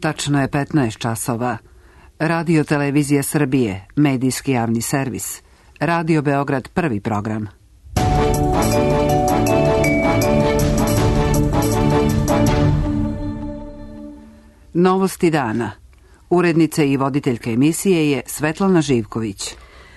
Tačno je 15 časova. Radio Televizija Srbije, medijski javni servis. Radio Beograd, prvi program. Novosti dana. Urednica i voditeljka emisije je Svetlana Živković.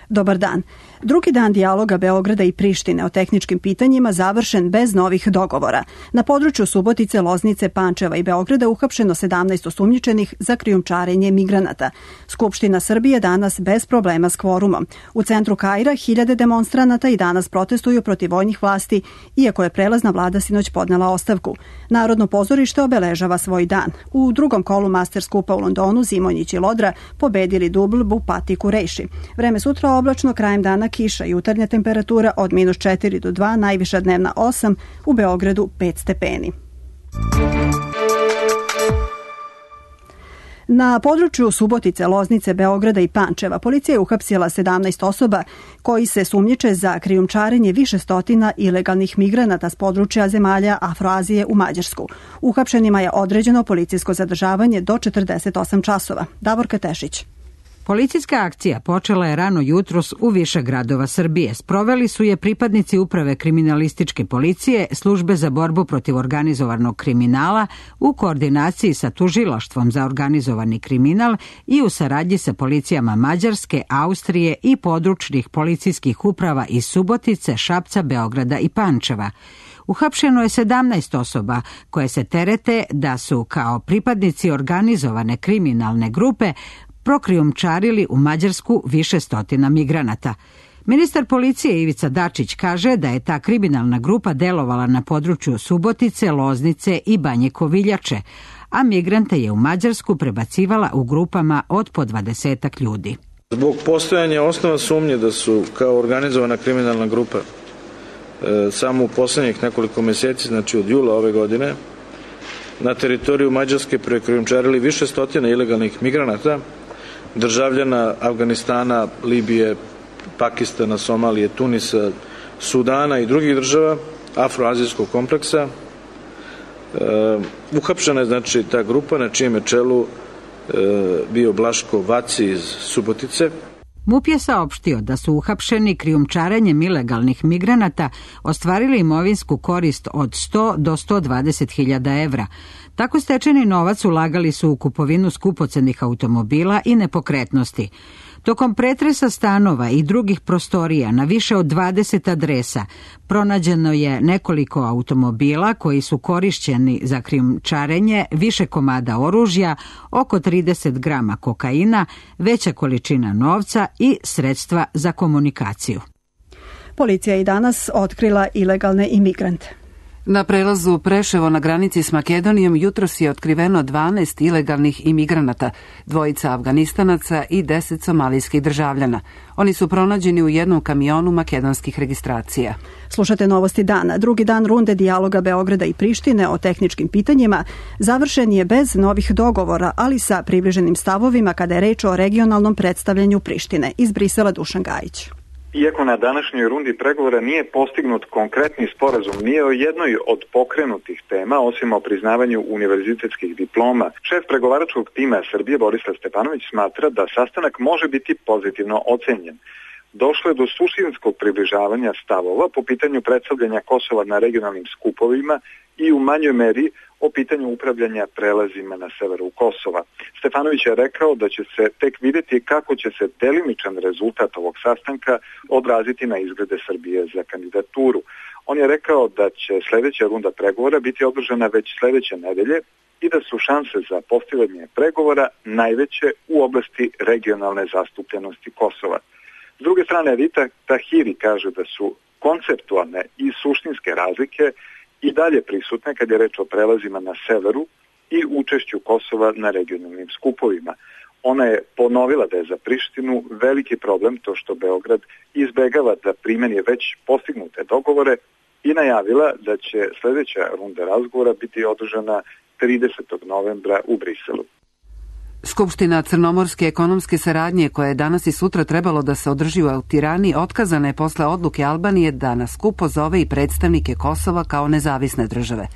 Dobar dan. Drugi dan dijaloga Beograda i Prištine o tehničkim pitanjima završen bez novih dogovora. Na području Subotice, Loznice, Pančeva i Beograda uhapšeno 17 osumnjičenih za krijumčarenje migranata. Skupština Srbije danas bez problema s kvorumom. U centru Kaira hiljade demonstranata i danas protestuju protiv vojnih vlasti, iako je prelazna vlada sinoć podnela ostavku. Narodno pozorište obeležava svoj dan. U drugom kolu master skupa u Londonu Zimonjić i Lodra pobedili dubl Bupati Kurejši. Vreme sutra oblačno, krajem dana kiša, jutarnja temperatura od -4 do 2, najviša dnevna 8, u Beogradu 5 stepeni. Na području Subotice, Loznice, Beograda i Pančeva policija je uhapsila 17 osoba koji se sumnjiče za krijumčarenje više stotina ilegalnih migranata s područja zemalja Afroazije u Mađarsku. Uhapšenima je određeno policijsko zadržavanje do 48 časova. Davorka Tešić. Policijska akcija počela je rano jutros u više gradova Srbije. Sproveli su je pripadnici Uprave kriminalističke policije, Službe za borbu protiv organizovanog kriminala u koordinaciji sa Tužilaštvom za organizovani kriminal i u saradnji sa policijama Mađarske, Austrije i područnih policijskih uprava iz Subotice, Šapca, Beograda i Pančeva. Uhapšeno je 17 osoba koje se terete da su kao pripadnici organizovane kriminalne grupe prokrijumčarili u Mađarsku više stotina migranata. Ministar policije Ivica Dačić kaže da je ta kriminalna grupa delovala na području Subotice, Loznice i Banje Koviljače, a migrante je u Mađarsku prebacivala u grupama od po 20 ljudi. Zbog postojanja osnova sumnje da su kao organizovana kriminalna grupa samo u poslednjih nekoliko meseci, znači od jula ove godine, na teritoriju Mađarske prekrijumčarili više stotina ilegalnih migranata, državljana Afganistana, Libije, Pakistana, Somalije, Tunisa, Sudana i drugih država afroazijskog kompleksa. Uhapšena je znači ta grupa na čijem je čelu bio Blaško Vaci iz Subotice. MUP je saopštio da su uhapšeni krijumčarenjem ilegalnih migranata ostvarili imovinsku korist od 100 do 120.000 evra. Tako stečeni novac ulagali su u kupovinu skupocenih automobila i nepokretnosti. Tokom pretresa stanova i drugih prostorija na više od 20 adresa pronađeno je nekoliko automobila koji su korišćeni za krijumčarenje, više komada oružja, oko 30 grama kokaina, veća količina novca i sredstva za komunikaciju. Policija je i danas otkrila ilegalne imigrante. Na prelazu Preševo na granici s Makedonijom jutros je otkriveno 12 ilegalnih imigranata, 2 Afganistanaca i 10 somalijskih državljana. Oni su pronađeni u jednom kamionu makedonskih registracija. Slušate novosti dana. Drugi dan runde dijaloga Beograda i Prištine o tehničkim pitanjima završen je bez novih dogovora, ali sa približenim stavovima kada je reč o regionalnom predstavljanju Prištine. Iz Brisela Dušan Gajić. Iako na današnjoj rundi pregovora nije postignut konkretni sporazum nije o jednoj od pokrenutih tema, osim o priznavanju univerzitetskih diploma, šef pregovaračkog tima Srbije Borislav Stefanović smatra da sastanak može biti pozitivno ocenjen. Došlo je do suštinskog približavanja stavova po pitanju predstavljanja Kosova na regionalnim skupovima i u manjoj meri o pitanju upravljanja prelazima na severu Kosova. Stefanović je rekao da će se tek vidjeti kako će se delimičan rezultat ovog sastanka odraziti na izglede Srbije za kandidaturu. On je rekao da će sljedeća runda pregovora biti održana već sljedeće nedelje i da su šanse za postiganje pregovora najveće u oblasti regionalne zastupljenosti Kosova. S druge strane, Rita Tahiri kaže da su konceptualne i suštinske razlike i dalje prisutne kad je reč o prelazima na severu i učešću Kosova na regionalnim skupovima. Ona je ponovila da je za Prištinu veliki problem to što Beograd izbegava da primeni već postignute dogovore i najavila da će sljedeća runda razgovora biti održana 30. novembra u Briselu. Skupština Crnomorske ekonomske saradnje, koja je danas i sutra trebalo da se održi u Tirani, otkazana je posle odluke Albanije da na skup pozove i predstavnike Kosova kao nezavisne države.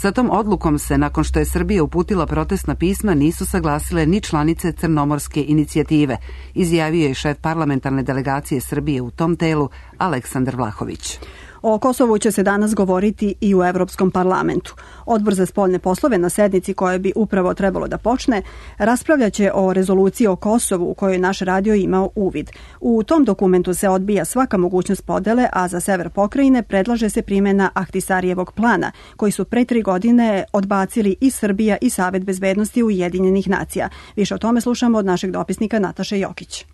Sa tom odlukom se, nakon što je Srbija uputila protestna pisma, nisu saglasile ni članice Crnomorske inicijative, izjavio je šef parlamentarne delegacije Srbije u tom telu Aleksandar Vlahović. O Kosovu će se danas govoriti i u Evropskom parlamentu. Odbor za spoljne poslove na sednici koja bi upravo trebalo da počne raspravljaće o rezoluciji o Kosovu u kojoj naš radio imao uvid. U tom dokumentu se odbija svaka mogućnost podele, a za sever pokrajine predlaže se primjena Ahtisarijevog plana, koji su pre 3 godine odbacili i Srbija i Savet bezbednosti Ujedinjenih nacija. Više o tome slušamo od našeg dopisnika Nataše Jokić.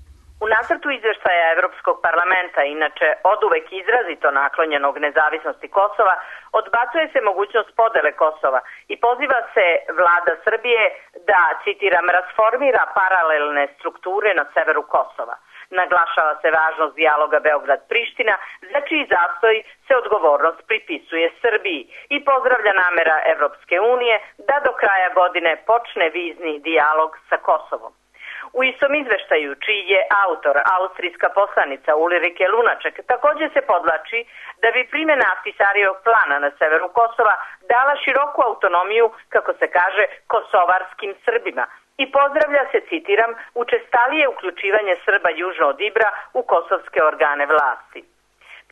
U nacrtu izveštaja Evropskog parlamenta, inače oduvek izrazito naklonjenog nezavisnosti Kosova, odbacuje se mogućnost podele Kosova i poziva se vlada Srbije da, citiram, rasformira paralelne strukture na severu Kosova. Naglašava se važnost dijaloga Beograd-Priština, za čiji zastoj se odgovornost pripisuje Srbiji i pozdravlja namera Evropske unije da do kraja godine počne vizni dijalog sa Kosovom. U istom izveštaju, čiji je autor austrijska poslanica Ulrike Lunaček, također se podvlači da bi primjena Ahtisarijevog plana na severu Kosova dala široku autonomiju, kako se kaže, kosovarskim Srbima i pozdravlja se, citiram, učestalije uključivanje Srba južno od Ibra u kosovske organe vlasti.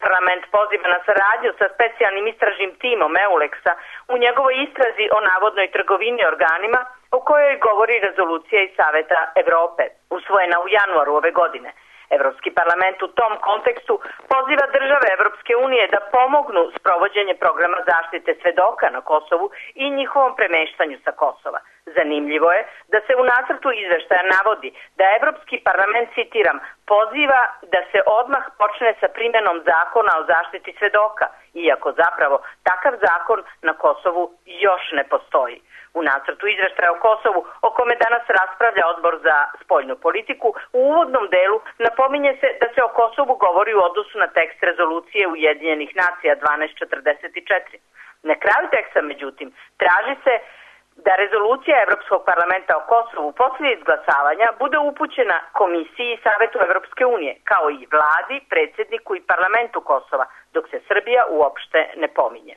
Parlament poziva na saradnju sa specijalnim istražnim timom EULEX-a u njegovoj istrazi o navodnoj trgovini organima, o kojoj govori rezolucija iz Saveta Evrope, usvojena u januaru ove godine. Evropski parlament u tom kontekstu poziva države Evropske unije da pomognu sprovođenje programa zaštite svedoka na Kosovu i njihovom premeštanju sa Kosova. Zanimljivo je da se u nacrtu izveštaja navodi da Evropski parlament, citiram, poziva da se odmah počne sa primjenom zakona o zaštiti svedoka, iako zapravo takav zakon na Kosovu još ne postoji. U nacrtu izveštaja o Kosovu, o kome danas raspravlja Odbor za spoljnu politiku, u uvodnom delu napominje se da se o Kosovu govori u odnosu na tekst rezolucije Ujedinjenih nacija 1244. Na kraju teksta, međutim, traži se da rezolucija Evropskog parlamenta o Kosovu poslije izglasavanja bude upućena Komisiji i Savetu Evropske unije, kao i vladi, predsjedniku i parlamentu Kosova, dok se Srbija uopšte ne pominje.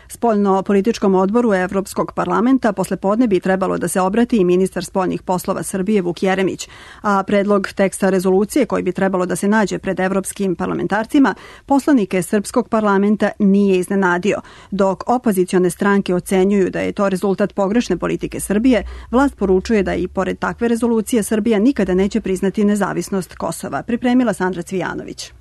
Spoljno-političkom odboru Evropskog parlamenta poslepodne bi trebalo da se obrati i ministar spoljnih poslova Srbije Vuk Jeremić, a predlog teksta rezolucije koji bi trebalo da se nađe pred evropskim parlamentarcima poslanike Srpskog parlamenta nije iznenadio. Dok opozicione stranke ocenjuju da je to rezultat pogrešne politike Srbije, vlast poručuje da i pored takve rezolucije Srbija nikada neće priznati nezavisnost Kosova. Pripremila Sandra Cvijanović.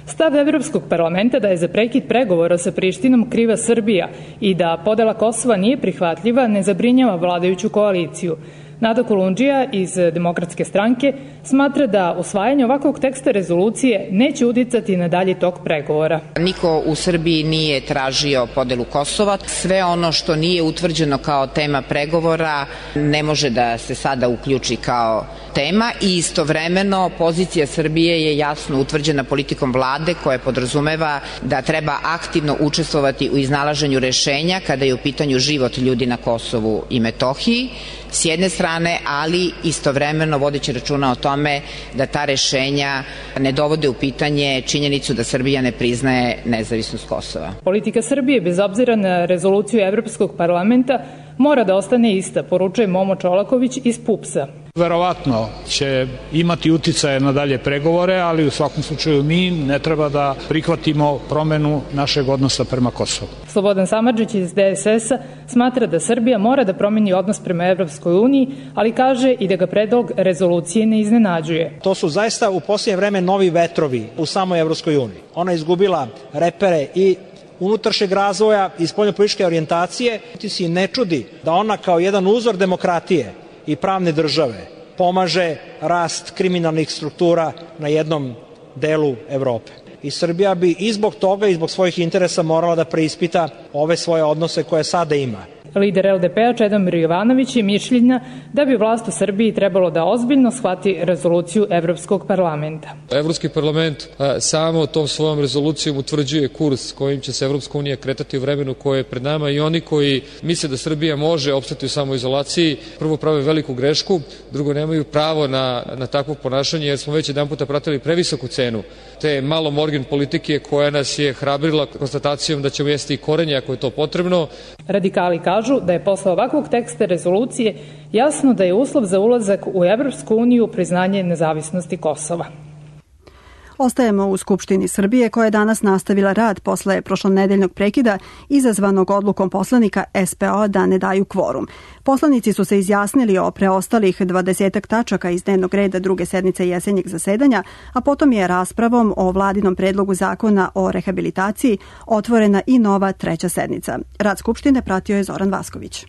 Stav Evropskog parlamenta da je za prekid pregovora sa Prištinom kriva Srbija i da podela Kosova nije prihvatljiva ne zabrinjava vladajuću koaliciju. Nada Kolundžija iz Demokratske stranke smatra da usvajanje ovakvog teksta rezolucije neće uticati na dalji tok pregovora. Niko u Srbiji nije tražio podelu Kosova. Sve ono što nije utvrđeno kao tema pregovora ne može da se sada uključi kao tema i istovremeno pozicija Srbije je jasno utvrđena politikom vlade koja podrazumeva da treba aktivno učestvovati u iznalaženju rešenja kada je u pitanju život ljudi na Kosovu i Metohiji s jedne strane, ali istovremeno vodeći računa o tome da ta rešenja ne dovode u pitanje činjenicu da Srbija ne priznaje nezavisnost Kosova. Politika Srbije, bez obzira na rezoluciju Evropskog parlamenta, mora da ostane ista, poručuje Momo Čolaković iz PUPS-a. Verovatno će imati uticaje na dalje pregovore, ali u svakom slučaju mi ne treba da prihvatimo promenu našeg odnosa prema Kosovu. Slobodan Samardžić iz DSS-a smatra da Srbija mora da promeni odnos prema Evropskoj uniji, ali kaže i da ga predlog rezolucije ne iznenađuje. To su zaista u posljednje vreme novi vetrovi u samoj Evropskoj uniji. Ona je izgubila repere i unutrašnjeg razvoja i spoljnopolitičke orijentacije. Ti si ne čudi da ona kao jedan uzor demokratije i pravne države pomaže rast kriminalnih struktura na jednom delu Evrope. I Srbija bi i zbog toga i zbog svojih interesa morala da preispita ove svoje odnose koje sada ima. Lider LDP-a Čedomir Jovanović je mišljenja da bi vlast u Srbiji trebalo da ozbiljno shvati rezoluciju Evropskog parlamenta. Evropski parlament samo tom svojom rezolucijom utvrđuje kurs kojim će se Evropska unija kretati u vremenu koje je pred nama i oni koji misle da Srbija može opstati u samoizolaciji, prvo prave veliku grešku, drugo nemaju pravo na takvo ponašanje jer smo već jedan puta pratili previsoku cenu te malo morgen politike koja nas je hrabrila konstatacijom da ćemo jesti i korenje ako je to potrebno. Radikali kažu da je posle ovakvog teksta rezolucije jasno da je uslov za ulazak u Evropsku uniju priznanje nezavisnosti Kosova. Ostajemo u Skupštini Srbije koja je danas nastavila rad posle prošlonedeljnog prekida izazvanog odlukom poslanika SPO da ne daju kvorum. Poslanici su se izjasnili o preostalih 20 tačaka iz dnevnog reda druge sednice jesenjeg zasedanja, a potom je raspravom o vladinom predlogu zakona o rehabilitaciji otvorena i nova treća sednica. Rad Skupštine pratio je Zoran Vasković.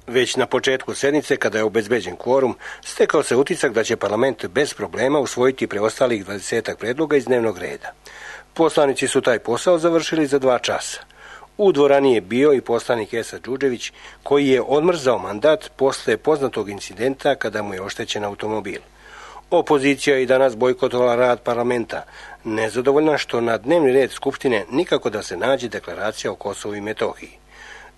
Već na početku sednice, kada je obezbeđen kvorum, stekao se utisak da će parlament bez problema usvojiti preostalih 20 predloga iz dnevnog reda. Poslanici su taj posao završili za 2 časa. U dvorani je bio i poslanik Esa Đuđević, koji je odmrzao mandat posle poznatog incidenta kada mu je oštećen automobil. Opozicija je i danas bojkotovala rad parlamenta, nezadovoljna što na dnevni red Skupštine nikako da se nađe deklaracija o Kosovu i Metohiji.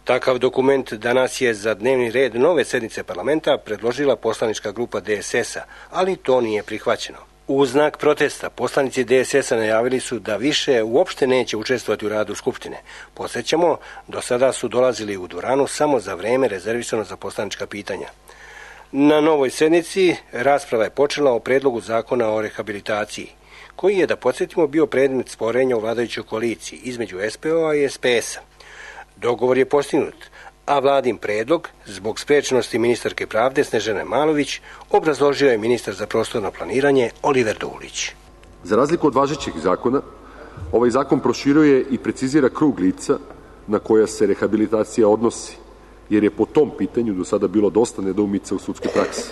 Takav dokument danas je za dnevni red nove sednice parlamenta predložila poslanička grupa DSS-a, ali to nije prihvaćeno. U znak protesta poslanici DSS-a najavili su da više uopšte neće učestvovati u radu Skupštine. Podsjećamo, do sada su dolazili u dvoranu samo za vreme rezervisano za poslanička pitanja. Na novoj sednici rasprava je počela o predlogu zakona o rehabilitaciji, koji je, da podsjetimo, bio predmet sporenja u vladajućoj koaliciji između SPO-a i SPS-a. Dogovor je postignut, a vladin predlog, zbog sprečenosti ministarke pravde Snežane Malović, obrazložio je ministar za prostorno planiranje Oliver Dulić. Za razliku od važećih zakona, ovaj zakon proširuje i precizira krug lica na koja se rehabilitacija odnosi, jer je po tom pitanju do sada bilo dosta nedoumica u sudskoj praksi.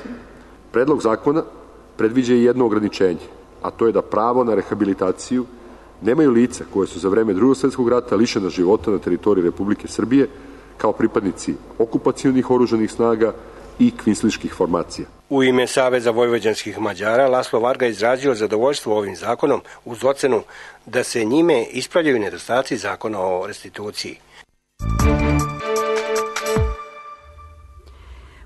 Predlog zakona predviđa i jedno ograničenje, a to je da pravo na rehabilitaciju nemaju lica koje su za vreme Drugog svjetskog rata lišena života na teritoriji Republike Srbije kao pripadnici okupacionih oružanih snaga i kvinsliških formacija. U ime Saveza vojvođanskih Mađara Laslo Varga izrazio zadovoljstvo ovim zakonom uz ocenu da se njime ispravljaju nedostaci zakona o restituciji.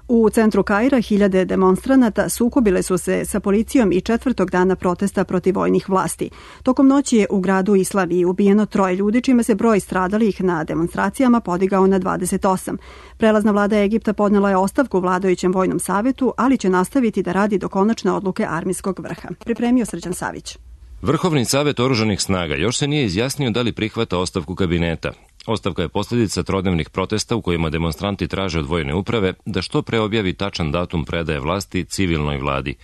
U centru Kaira hiljade demonstranata sukobile su se sa policijom i 4. dana protesta protiv vojnih vlasti. Tokom noći je u gradu Islamiji ubijeno 3 ljudi, čime se broj stradalih na demonstracijama podigao na 28. Prelazna vlada Egipta podnela je ostavku vladajućem vojnom savetu, ali će nastaviti da radi do konačne odluke armijskog vrha. Pripremio Srđan Savić. Vrhovni savet oružanih snaga još se nije izjasnio da li prihvata ostavku kabineta. Ostavka je posljedica trodnevnih protesta u kojima demonstranti traže od vojne uprave da što pre objavi tačan datum predaje vlasti civilnoj vladi.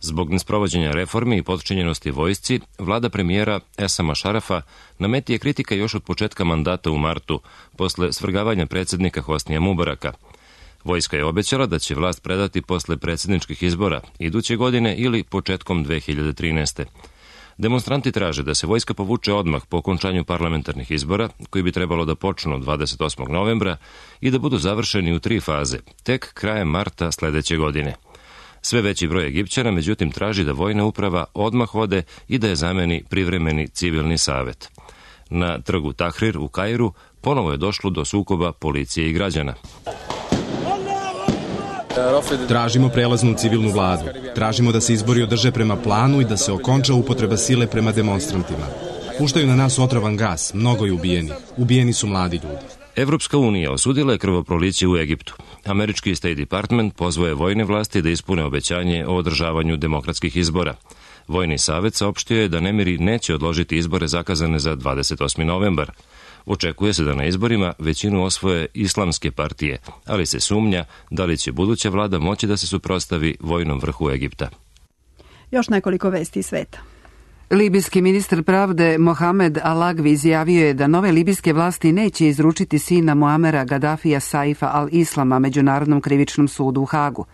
Zbog nesprovođenja reformi i potčinjenosti vojsci, vlada premijera Esama Šarafa na meti je kritika još od početka mandata u martu, posle svrgavanja predsjednika Hosnija Mubaraka. Vojska je obećala da će vlast predati posle predsjedničkih izbora iduće godine ili početkom 2013. Demonstranti traže da se vojska povuče odmah po okončanju parlamentarnih izbora, koji bi trebalo da počnu 28. novembra i da budu završeni u 3 faze, tek krajem marta sledeće godine. Sve veći broj Egipćana, međutim, traži da vojna uprava odmah ode i da je zameni privremeni civilni savet. Na trgu Tahrir u Kairu ponovo je došlo do sukoba policije i građana. Tražimo prelaznu civilnu vladu. Tražimo da se izbori održe prema planu i da se okonča upotreba sile prema demonstrantima. Puštaju na nas otrovan gas, mnogo je ubijenih. Ubijeni su mladi ljudi. Evropska unija osudila je krvoproliće u Egiptu. Američki State Department pozvao je vojne vlasti da ispune obećanje o održavanju demokratskih izbora. Vojni savet saopštio je da nemiri neće odložiti izbore zakazane za 28. novembar. Očekuje se da na izborima većinu osvoje islamske partije, ali se sumnja da li će buduća vlada moći da se suprotstavi vojnom vrhu Egipta. Još nekoliko vesti iz sveta. Libijski ministar pravde Mohamed Al-Agvi izjavio je da nove libijske vlasti neće izručiti sina Muamera Gaddafija Saifa al-Islama Međunarodnom krivičnom sudu u Hagu.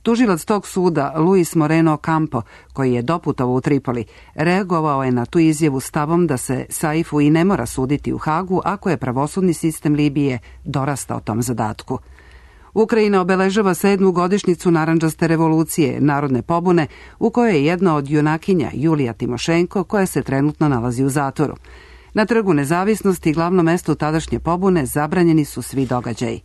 Tužilac tog suda, Luis Moreno Campo, koji je doputovao u Tripoli, reagovao je na tu izjavu stavom da se Saifu i ne mora suditi u Hagu ako je pravosudni sistem Libije dorastao tom zadatku. Ukrajina obeležava 7. godišnjicu narandžaste revolucije, narodne pobune, u kojoj je jedna od junakinja, Julija Timošenko, koja se trenutno nalazi u zatvoru. Na Trgu nezavisnosti, glavnom mestu tadašnje pobune, zabranjeni su svi događaji.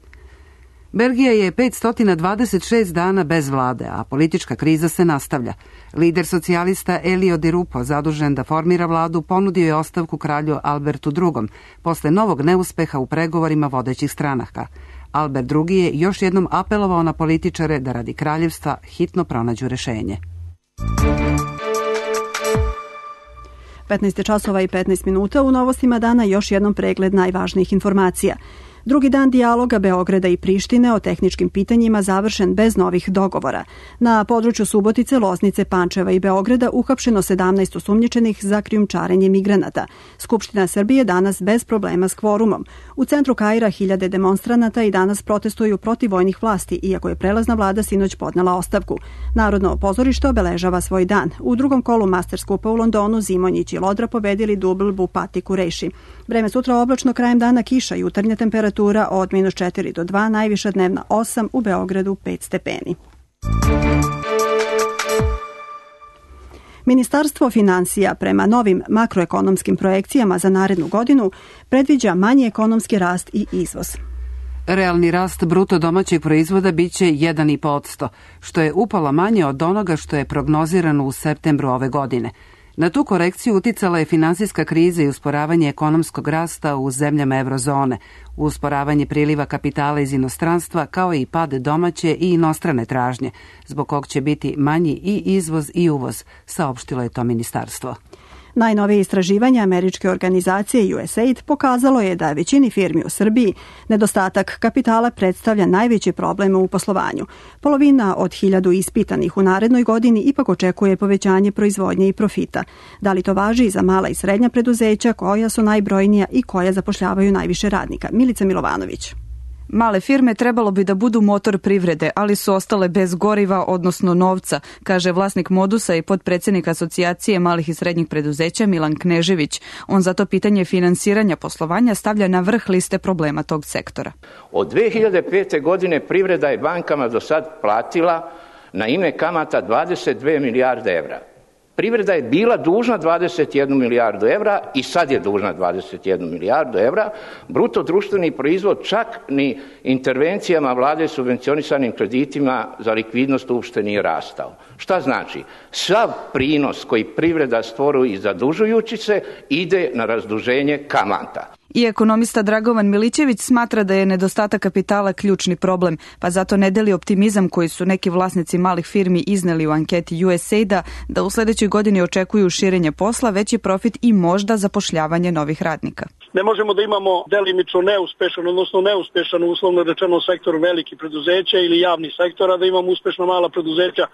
Belgija je 526 dana bez vlade, a politička kriza se nastavlja. Lider socijalista Elio Di Rupo, zadužen da formira vladu, ponudio je ostavku kralju Albertu II. Posle novog neuspeha u pregovorima vodećih stranaka. Albert II. Je još jednom apelovao na političare da radi kraljevstva hitno pronađu rešenje. 15 časova i 15 minuta u novostima dana još jednom pregled najvažnijih informacija. Drugi dan dijaloga Beograda i Prištine o tehničkim pitanjima završen bez novih dogovora. Na području Subotice, Loznice, Pančeva i Beograda uhapšeno 17 osumnjičenih za krijumčarenje migranata. Skupština Srbije danas bez problema s kvorumom. U centru Kaira 1000 demonstranata i danas protestuju protiv vojnih vlasti, iako je prelazna vlada sinoć podnela ostavku. Narodno pozorište obeležava svoj dan. U drugom kolu Master Skupa u Londonu Zimonjić i Lodra pobedili dubl Bupati Kureši. Vreme sutra oblačno, krajem dana kiša, jutarnja temperatura od -4 do 2, najviša dnevna 8, u Beogradu 5 stepeni. Ministarstvo finansija prema novim makroekonomskim projekcijama za narednu godinu predviđa manji ekonomski rast i izvoz. Realni rast bruto domaćeg proizvoda biće 1,5%, što je upola manje od onoga što je prognozirano u septembru ove godine. Na tu korekciju uticala je finansijska kriza i usporavanje ekonomskog rasta u zemljama eurozone, usporavanje priliva kapitala iz inostranstva, kao i pad domaće i inostrane tražnje, zbog kog će biti manji i izvoz i uvoz, saopštilo je to ministarstvo. Najnovije istraživanje američke organizacije USAID pokazalo je da većini firmi u Srbiji nedostatak kapitala predstavlja najveći problem u poslovanju. Polovina od 1000 ispitanih u narednoj godini ipak očekuje povećanje proizvodnje i profita. Da li to važi i za mala i srednja preduzeća koja su najbrojnija i koja zapošljavaju najviše radnika? Milica Milovanović. Male firme trebalo bi da budu motor privrede, ali su ostale bez goriva, odnosno novca, kaže vlasnik Modusa i potpredsjednik Asocijacije malih i srednjih preduzeća Milan Knežević. On zato pitanje finansiranja poslovanja stavlja na vrh liste problema tog sektora. Od 2005. godine privreda je bankama do sad platila na ime kamata 22 milijarde evra. Privreda je bila dužna 21 milijardu evra i sad je dužna 21 milijardu evra. Bruto društveni proizvod čak ni intervencijama vlade subvencionisanim kreditima za likvidnost uopšte nije rastao. Šta znači? Sav prinos koji privreda stvoruje zadužujući se ide na razduženje kamata. I ekonomista Dragovan Milićević smatra da je nedostatak kapitala ključni problem, pa zato ne deli optimizam koji su neki vlasnici malih firmi izneli u anketi USAID-a da u sledećoj godini očekuju širenje posla, veći profit i možda zapošljavanje novih radnika. Ne možemo da imamo delimično neuspešan uslovno rečeno sektor velikih preduzeća ili javnih sektora, da imamo uspešno mala preduzeća,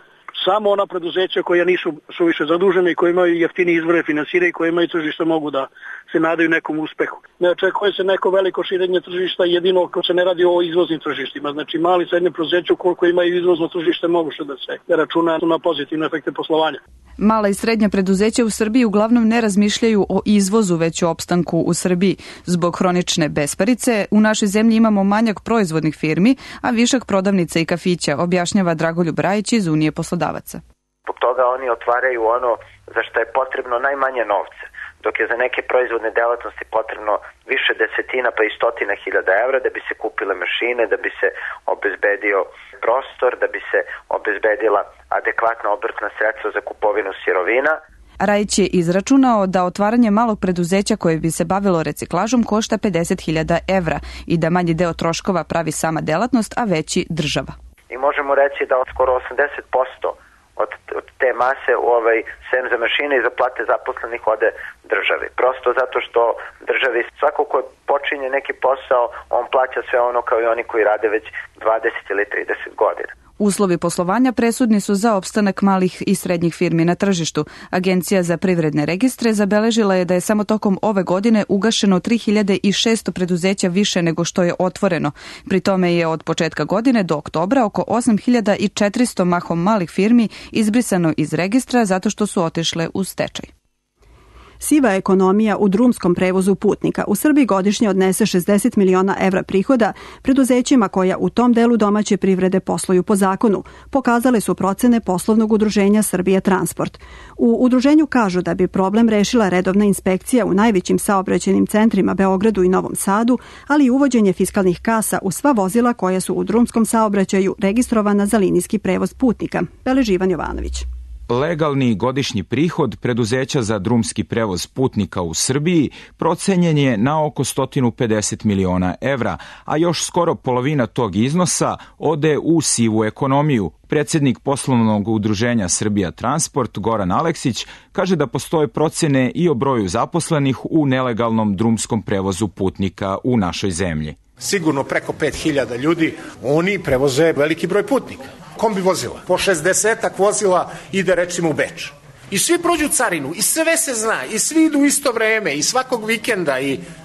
samo ona preduzeća koja nisu suviše zadužene i koja imaju jeftini izvore finansiranja i koja imaju tržište mogu da se nadaju nekom uspehu. Ne očekuje se neko veliko širenje tržišta jedino ako se ne radi o izvoznim tržištima. Znači mali i srednje preduzeća koliko imaju izvozno tržište mogu da se računa na pozitivne efekte poslovanja. Mala i srednja preduzeća u Srbiji uglavnom ne razmišljaju o izvozu, već o opstanku u Srbiji. Zbog hronične besparice u našoj zemlji imamo manjak proizvodnih firmi, a višak prodavnica i kafića, objašnjava Dragoljub Rajić iz Unije poslodavaca. Zbog toga oni otvaraju ono za što je potrebno najmanje novca, dok je za neke proizvodne delatnosti potrebno više desetina pa i stotina hiljada evra da bi se kupile mašine, da bi se obezbedio prostor, da bi se obezbedila adekvatna obrtna sredstva za kupovinu sirovina. Rajić je izračunao da otvaranje malog preduzeća koje bi se bavilo reciklažom košta 50.000 evra i da manji deo troškova pravi sama delatnost, a veći država. I možemo reći da od skoro 80% od te mase sem za mašine i za plate zaposlenih ode državi. Prosto zato što državi svako ko počinje neki posao, on plaća sve ono kao i oni koji rade već 20 ili 30 godina. Uslovi poslovanja presudni su za opstanak malih i srednjih firmi na tržištu. Agencija za privredne registre zabeležila je da je samo tokom ove godine ugašeno 3600 preduzeća više nego što je otvoreno. Pri tome je od početka godine do oktobra oko 8400 mahom malih firmi izbrisano iz registra zato što su otišle u stečaj. Siva ekonomija u drumskom prevozu putnika u Srbiji godišnje odnese 60 miliona evra prihoda preduzećima koja u tom delu domaće privrede posluju po zakonu, pokazale su procene poslovnog udruženja Srbija Transport. U udruženju kažu da bi problem rešila redovna inspekcija u najvećim saobraćajnim centrima Beogradu i Novom Sadu, ali i uvođenje fiskalnih kasa u sva vozila koja su u drumskom saobraćaju registrovana za linijski prevoz putnika. Beleži Ivan Jovanović. Legalni godišnji prihod preduzeća za drumski prevoz putnika u Srbiji procenjen je na oko 150 miliona evra, a još skoro polovina tog iznosa ode u sivu ekonomiju. Predsjednik poslovnog udruženja Srbija Transport, Goran Aleksić, kaže da postoje procene i o broju zaposlenih u nelegalnom drumskom prevozu putnika u našoj zemlji. Sigurno preko 5000 ljudi, oni prevoze veliki broj putnika. Kombi vozila, po 60-ak vozila ide recimo u Beč. I svi prođu carinu, i sve se zna, i svi idu u isto vreme, i svakog vikenda,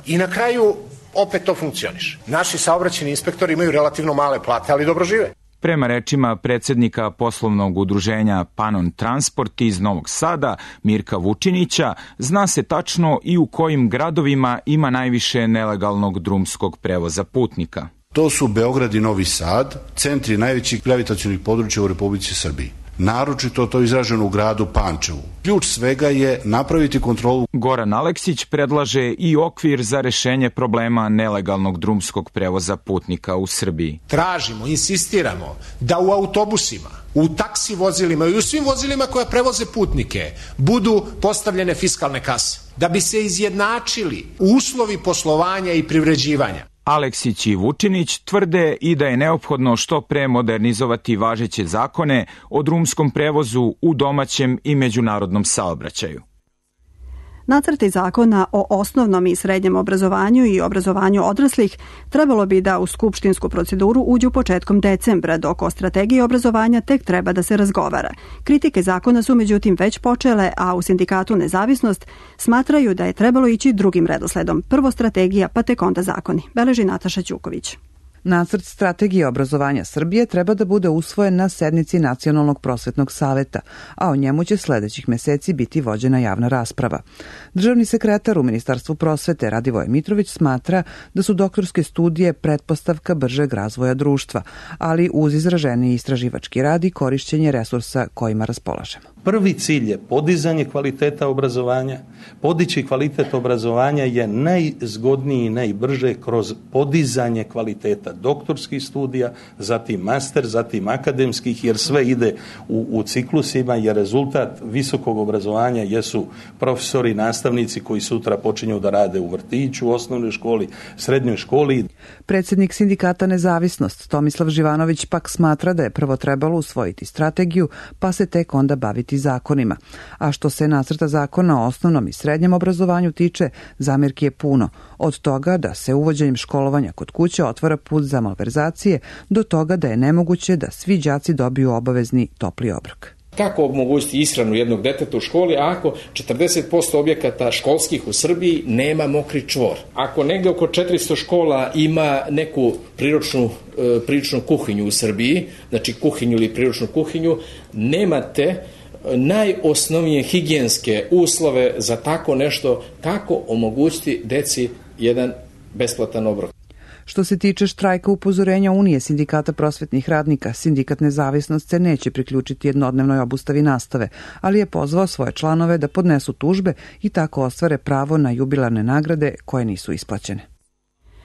i na kraju opet to funkcioniše. Naši saobraćajni inspektori imaju relativno male plate, ali dobro žive. Prema rečima predsjednika poslovnog udruženja Panon Transport iz Novog Sada, Mirka Vučinića, zna se tačno i u kojim gradovima ima najviše nelegalnog drumskog prevoza putnika. To su Beograd i Novi Sad, centri najvećih gravitacionih područja u Republici Srbiji. Naročito to izraženo u gradu Pančevu. Ključ svega je napraviti kontrolu. Goran Aleksić predlaže i okvir za rešenje problema nelegalnog drumskog prevoza putnika u Srbiji. Tražimo, insistiramo da u autobusima, u taksi vozilima i u svim vozilima koja prevoze putnike budu postavljene fiskalne kase, da bi se izjednačili uslovi poslovanja i privređivanja. Aleksić i Vučinić tvrde i da je neophodno što pre modernizovati važeće zakone o drumskom prevozu u domaćem i međunarodnom saobraćaju. Nacrti zakona o osnovnom i srednjem obrazovanju i obrazovanju odraslih trebalo bi da u skupštinsku proceduru uđu početkom decembra, dok o strategiji obrazovanja tek treba da se razgovara. Kritike zakona su međutim već počele, a u sindikatu Nezavisnost smatraju da je trebalo ići drugim redosledom. Prvo strategija, pa tek onda zakoni. Beleži Nataša Ćuković. Nacrt strategije obrazovanja Srbije treba da bude usvojen na sednici Nacionalnog prosvetnog saveta, a o njemu će sledećih meseci biti vođena javna rasprava. Državni sekretar u Ministarstvu prosvete Radivoje Mitrović smatra da su doktorske studije pretpostavka bržeg razvoja društva, ali uz izraženiji istraživački rad i korišćenje resursa kojima raspolažemo. Prvi cilj je podizanje kvaliteta obrazovanja. Podići kvalitet obrazovanja je najzgodniji i najbrže kroz podizanje kvaliteta doktorskih studija, zatim master, zatim akademskih, jer sve ide u ciklusima, jer rezultat visokog obrazovanja jesu profesori, nastavnici koji sutra počinju da rade u vrtiću, osnovnoj školi, srednjoj školi. Predsjednik sindikata Nezavisnost Tomislav Živanović pak smatra da je prvo trebalo usvojiti strategiju, pa se tek onda baviti zakonima. A što se nacrta zakona o osnovnom i srednjem obrazovanju tiče, zamirki je puno. Od toga da se uvođenjem školovanja kod kuće otvara put za malverzacije, do toga da je nemoguće da svi đaci dobiju obavezni topli obrok. Kako omogućiti ishranu jednog deteta u školi ako 40% objekata školskih u Srbiji nema mokri čvor? Ako negde oko 400 škola ima neku priručnu kuhinju u Srbiji, znači kuhinju ili priručnu kuhinju, nemate najosnovnije higijenske uslove za tako nešto, kako omogućiti deci jedan besplatan obrok. Što se tiče štrajka upozorenja Unije sindikata prosvetnih radnika, sindikat Nezavisnost se neće priključiti jednodnevnoj obustavi nastave, ali je pozvao svoje članove da podnesu tužbe i tako ostvare pravo na jubilarne nagrade koje nisu isplaćene.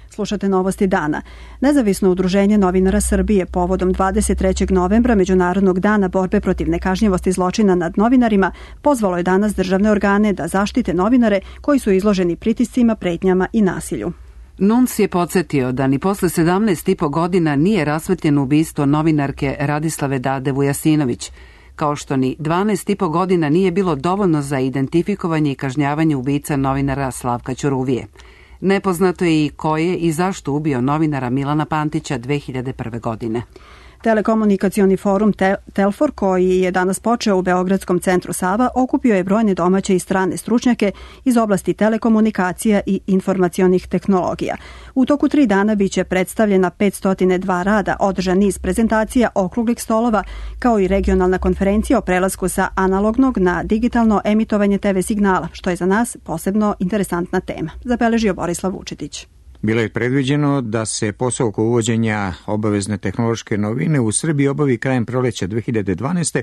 Slušate Novosti dana. Nezavisno udruženje novinara Srbije povodom 23. novembra Međunarodnog dana borbe protiv nekažnjivosti zločina nad novinarima pozvalo je danas državne organe da zaštite novinare koji su izloženi pritiscima, pretnjama i nasilju. NUNS je podsjetio da ni posle 17,5 godina nije rasvetljeno ubistvo novinarke Radislave Dade Vujasinović, kao što ni 12,5 godina nije bilo dovoljno za identifikovanje i kažnjavanje ubica novinara Slavka Ćuruvije. Nepoznato je i ko je i zašto ubio novinara Milana Pantića 2001. godine. Telekomunikacioni forum Telfor, koji je danas počeo u Beogradskom centru Sava, okupio je brojne domaće i strane stručnjake iz oblasti telekomunikacija i informacionih tehnologija. U toku 3 dana biće predstavljena 502 rada, održan niz prezentacija, okruglih stolova, kao i regionalna konferencija o prelasku sa analognog na digitalno emitovanje TV signala, što je za nas posebno interesantna tema, zabeležio Borislav Vučetić. Bilo je predviđeno da se posao oko uvođenja obavezne tehnološke novine u Srbiji obavi krajem proleća 2012.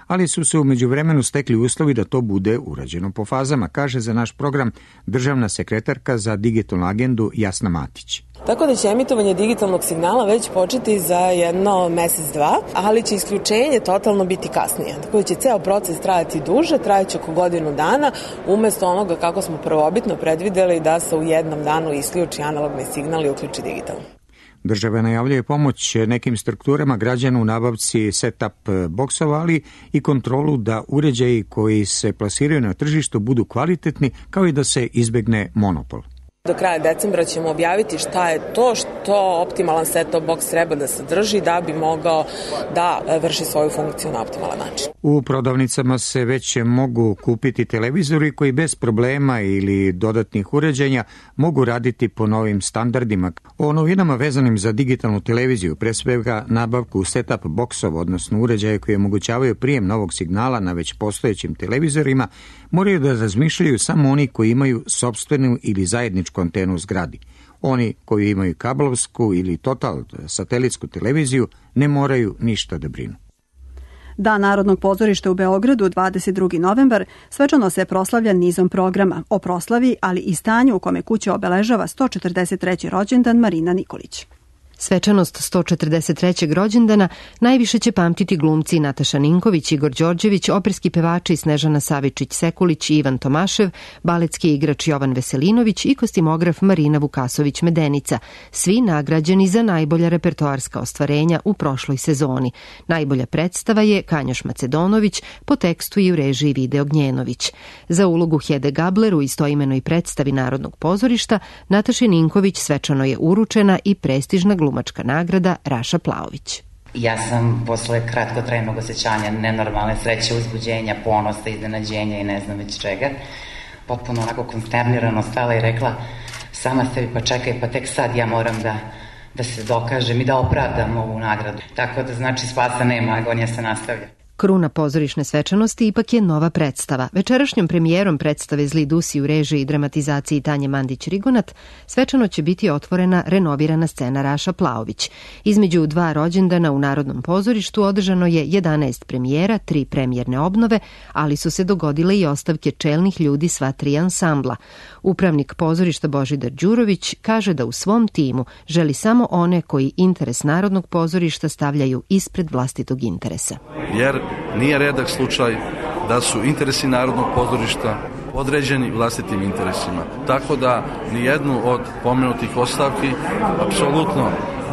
ali su se u međuvremenu stekli uslovi da to bude urađeno po fazama, kaže za naš program državna sekretarka za digitalnu agendu Jasna Matić. Tako da će emitovanje digitalnog signala već početi za jedno mesec, dva, ali će isključenje totalno biti kasnije. Tako da će ceo proces trajati duže, trajaće oko godinu dana, umesto onoga kako smo prvobitno predvideli da se u jednom danu isključi analogni signal i uključi digitalno. Država najavljuje pomoć nekim strukturama građana u nabavci set-up boksova, ali i kontrolu da uređaji koji se plasiraju na tržištu budu kvalitetni, kao i da se izbegne monopol. Do kraja decembra ćemo objaviti šta je to što optimalan set-top box treba da sadrži da bi mogao da vrši svoju funkciju na optimalan način. U prodavnicama se već mogu kupiti televizori koji bez problema ili dodatnih uređenja mogu raditi po novim standardima. O novinama vezanim za digitalnu televiziju, pre svega nabavku set-up boksova, odnosno uređaje koji omogućavaju prijem novog signala na već postojećim televizorima, moraju da razmišljaju samo oni koji imaju sopstvenu ili zajedničku antenu u zgradi. Oni koji imaju kablovsku ili total satelitsku televiziju ne moraju ništa da brinu. Dan Narodnog pozorišta u Beogradu, 22. novembar, svečano se proslavlja nizom programa o proslavi, ali i stanju u kome kuća obeležava 143. rođendan Marina Nikolić. Svečanost 143. rođendana najviše će pamtiti glumci Nataša Ninković, Igor Đorđević, operski pevači Snežana Savičić-Sekulić i Ivan Tomašev, baletski igrač Jovan Veselinović i kostimograf Marina Vukasović-Medenica, svi nagrađeni za najbolja repertoarska ostvarenja u prošloj sezoni. Najbolja predstava je Kanjoš Macedonović, po tekstu i u režiji Vide Ognjenović. Za ulogu Hede Gabler u istoimenoj predstavi Narodnog pozorišta Nataši Ninković svečano je uručena i prestižna glumačka nagrada Raša Plaović. Ja sam posle kratkotrajnog osjećanja nenormalne sreće, uzbuđenja, ponosa, iznenađenja i ne znam već čega, potpuno onako konsternirano stala i rekla sama sebi pa čekaj, pa tek sad ja moram da se dokažem i da opravdam ovu nagradu. Tako da znači spasa nema, agonija se nastavlja. Kruna pozorišne svečanosti ipak je nova predstava. Večerašnjom premijerom predstave Zli dusi u režiji i dramatizaciji Tanje Mandić-Rigonat svečano će biti otvorena renovirana scena Raša Plaović. Između 2 rođendana u Narodnom pozorištu održano je 11 premijera, 3 premijerne obnove, ali su se dogodile i ostavke čelnih ljudi sva 3 ansambla. Upravnik pozorišta Božidar Đurović kaže da u svom timu želi samo one koji interes Narodnog pozorišta stavljaju ispred vlastitog interesa. Jer nije redak slučaj da su interesi Narodnog pozorišta određeni vlastitim interesima. Tako da nijednu od pomenutih ostavki apsolutno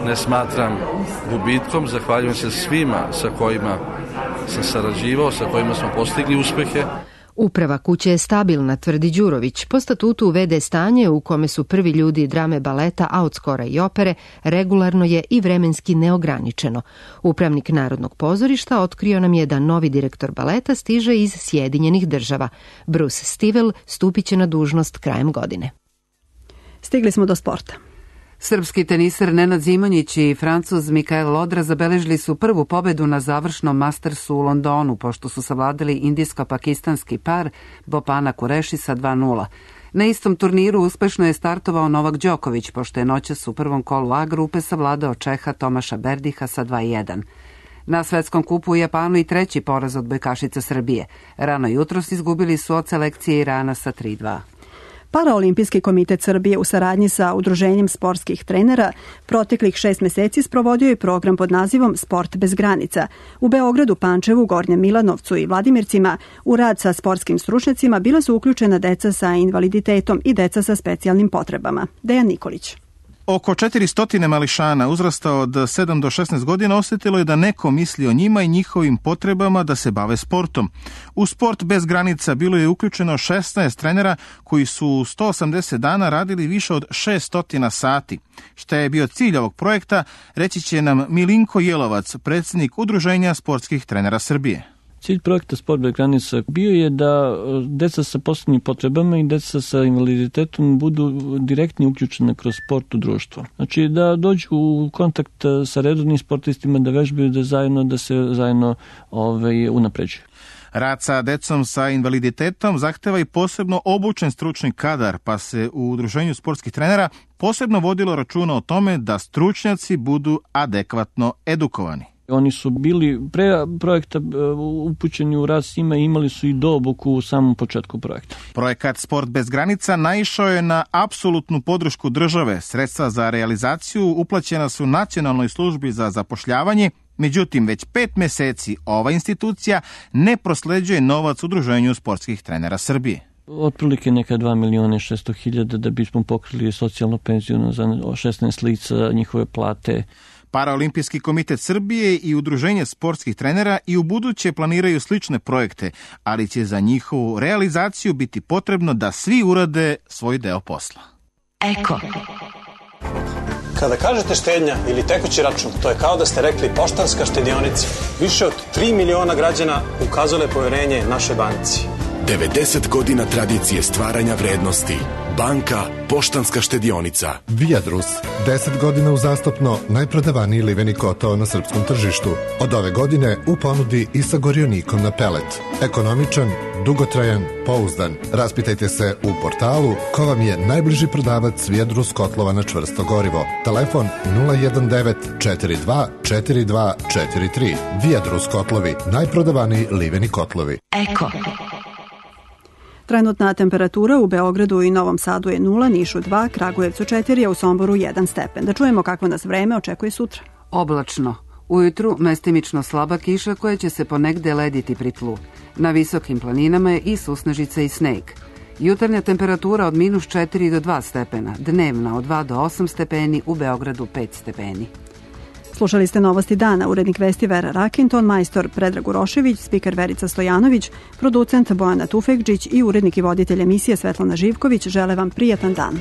ne smatram gubitkom. Zahvaljujem se svima sa kojima sam sarađivao, sa kojima smo postigli uspehe. Uprava kuće je stabilna, tvrdi Đurović. Po statutu uvede stanje u kome su prvi ljudi drame, baleta, a od skora i opere, regularno je i vremenski neograničeno. Upravnik Narodnog pozorišta otkrio nam je da novi direktor baleta stiže iz Sjedinjenih država. Bruce Stivell stupit će na dužnost krajem godine. Stigli smo do sporta. Srpski teniser Nenad Zimonjić i Francuz Mikael Lodra zabeležili su prvu pobedu na završnom Mastersu u Londonu, pošto su savladali indijsko-pakistanski par Bopana Kureši sa 2:0. Na istom turniru uspešno je startovao Novak Đoković, pošto je noćas u prvom kolu A grupe savladao Čeha Tomaša Berdiha sa 2:1. Na svetskom kupu u Japanu i treći poraz od odbojkašica Srbije. Rano jutros izgubili su od selekcije Irana sa 3:2. Paraolimpijski komitet Srbije u saradnji sa Udruženjem sportskih trenera proteklih 6 meseci sprovodio je program pod nazivom Sport bez granica. U Beogradu, Pančevu, Gornjem Milanovcu i Vladimircima u rad sa sportskim stručnjacima bila su uključena deca sa invaliditetom i deca sa specijalnim potrebama. Dejan Nikolić. Oko 400 mališana uzrasta od 7 do 16 godina osjetilo je da neko misli o njima i njihovim potrebama da se bave sportom. U Sport bez granica bilo je uključeno 16 trenera koji su 180 dana radili više od 600 sati. Šta je bio cilj ovog projekta, reći će nam Milinko Jelovac, predsjednik Udruženja sportskih trenera Srbije. Cilj projekta Sport bez granica bio je da deca sa posebnim potrebama i deca sa invaliditetom budu direktno uključene kroz sport u društvo. Znači da dođu u kontakt sa redovnim sportistima, da vežbaju, da se zajedno unapređuju. Rad sa decom sa invaliditetom zahteva i posebno obučen stručni kadar, pa se u Udruženju sportskih trenera posebno vodilo računa o tome da stručnjaci budu adekvatno edukovani. Oni su bili pre projekta upućeni u rad s njima i imali su i doobuku u samom početku projekta. Projekat Sport bez granica naišao je na apsolutnu podršku države. Sredstva za realizaciju uplaćena su Nacionalnoj službi za zapošljavanje, međutim već 5 meseci ova institucija ne prosleđuje novac Udruženju sportskih trenera Srbije. Otprilike neka 2.600.000 da bismo pokrili socijalno penziju za 16 lica, njihove plate. Paraolimpijski komitet Srbije i Udruženje sportskih trenera i u buduće planiraju slične projekte, ali će za njihovu realizaciju biti potrebno da svi urade svoj deo posla. Eko. Kada kažete štednja ili tekući račun, to je kao da ste rekli Poštanska štedionica. Više od 3 miliona građana ukazale poverenje našoj banci. 90 godina tradicije stvaranja vrednosti. Banka Poštanska štedionica. Viadrus, 10 godina uzastopno najprodavaniji liveni kotao na srpskom tržištu. Od ove godine u ponudi i sa gorionikom na pelet. Ekonomičan, dugotrajan, pouzdan. Raspitajte se u portalu ko vam je najbliži prodavac Viadrus kotlova na čvrsto gorivo. Telefon 019 42 42 43. Viadrus kotlovi, najprodavaniji liveni kotlovi. Eko. Trenutna temperatura u Beogradu i Novom Sadu je 0, Nišu 2, Kragujevcu 4, a u Somboru 1 stepen. Da čujemo kako nas vreme očekuje sutra. Oblačno. Ujutru mestimično slaba kiša koja će se ponegde lediti pri tlu. Na visokim planinama je i susnežica i sneg. Jutarnja temperatura od -4 do 2 stepena, dnevna od 2 do 8 stepeni, u Beogradu 5 stepeni. Slušali ste Novosti dana, urednik vesti Vera Rakinton, majstor Predrag Urošević, spiker Verica Stojanović, producent Bojana Tufekđić i urednik i voditelj emisije Svetlana Živković žele vam prijatan dan.